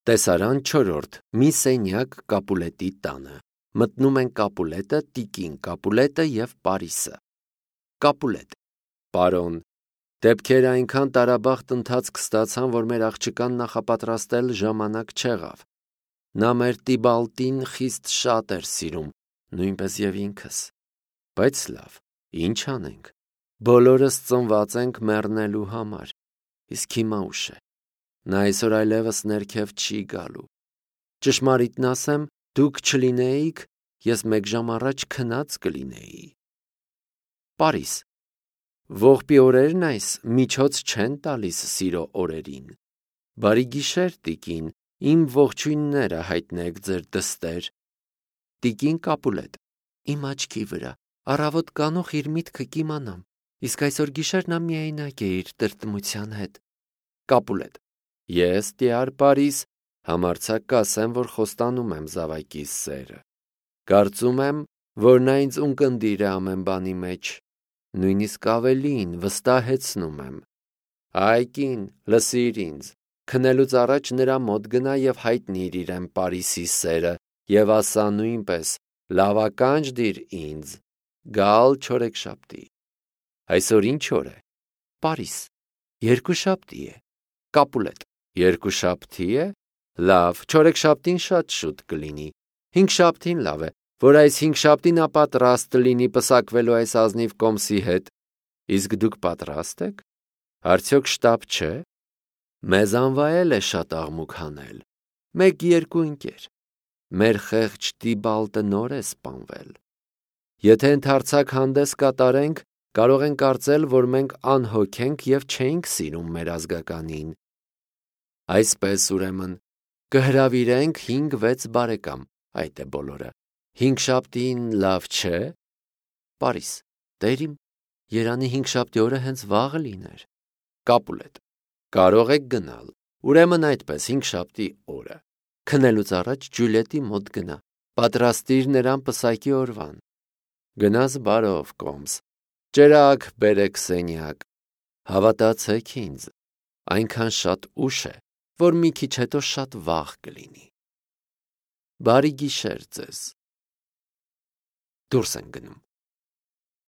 Տեսարան 4. Մի սենյակ Կապուլետի տանը։ Մտնում են Կապուլետը, տիկին Կապուլետը և Պարիսը։ Կապուլետ. Պարոն, դեպքերը այնքան տարաբախտ ընթացք ստացան, որ մեր աղջկան նախապատրաստել ժամանակ չեղավ։ Նա մեր Տիբալտին խիստ շատ էր սիրում, նույնպես և ինքս։ Բայց լավ, ինչ անենք։ Բոլորս ծնված ենք մեռնելու համար, իսկ հիմա ուշ է։ Նա այսօր այլևս ներքև չի գալու։ Ճշմարիտն ասեմ, դուք չլինեիք, ես 1 ժամ առաջ քնած կլինեի։ Պարիս. Ողբի օրերն այս միջոց չեն տալիս սիրո օրերին։ Բարի գիշեր, տիկին, իմ ողջույնները հայտնեք ձեր դստեր։ Տիկին Կապուլետ. Իմ աչքի վրա, առավոտ կանող իր միտքը կիմանամ, իսկ այսօր գիշեր նա միայնակ է իր տրտմության հետ։ Կապուլետ. Ես, տյար Պարիս, համարձակ կասեմ, որ խոստանում եմ զավակիս սերը։ Կարծում եմ, որ նա ինձ ունկնդիր է ամեն բանի մեջ, նույնիսկ ավելին վստահեցնում եմ։ Այ կին, լսիր ինձ, քնելուց առաջ նրա մոտ գնա և հայտնիր իրեն Պարիսի սերը և ասա նույնպես, լավականջ դիր ինձ, գալ չորեքշաբթի։ Այսօր ինչ օր է։ Պարիս. Երկուշաբթի է։ Կապուլետ. Երկուշաբթի է։ Լավ, չորեքշաբթին շատ շուտ կլինի։ Հինգշաբթին լավ է, որ այս հինգշաբթին նա պատրաստ լինի պսակվելու այս ազնիվ կոմսի հետ։ Իսկ դուք պատրաստ եք։ Արդյոք շտապ չէ։ Մեզ անվայել է շատ աղմուկ հանել։ 1-2 ընկեր։ Մեր խեղճ Տիբալտը նոր է սպանվել։ Եթե ընդարձակ հանդես կատարենք, կարող են կարծել, որ մենք անհոգ ենք և չէինք սիրում մեր ազգականին։ Այսպես ուրեմն, կհրավիրենք 5-6 բարեկամ, այդ է բոլորը։ Հինգշաբթին լավ չէ։ Պարիս. Տերիմ, երանի հինգշաբթի օրը հենց վաղը լիներ։ Կապուլետ. Կարող եք գնալ։ Ուրեմն այդպես, հինգշաբթի օրը։ Քնելուց առաջ Ջուլիետի մոտ գնա, պատրաստիր նրան պսակի օրվան։ Գնաս բարով, կոմս։ Ճրագ բերեք սենյակ։ Հավատացեք ինձ, այնքան շատ ուշ է, որ մի քիչ հետո շատ վաղ կլինի։ Բարի գիշեր ձեզ։ Դուրս են գնում։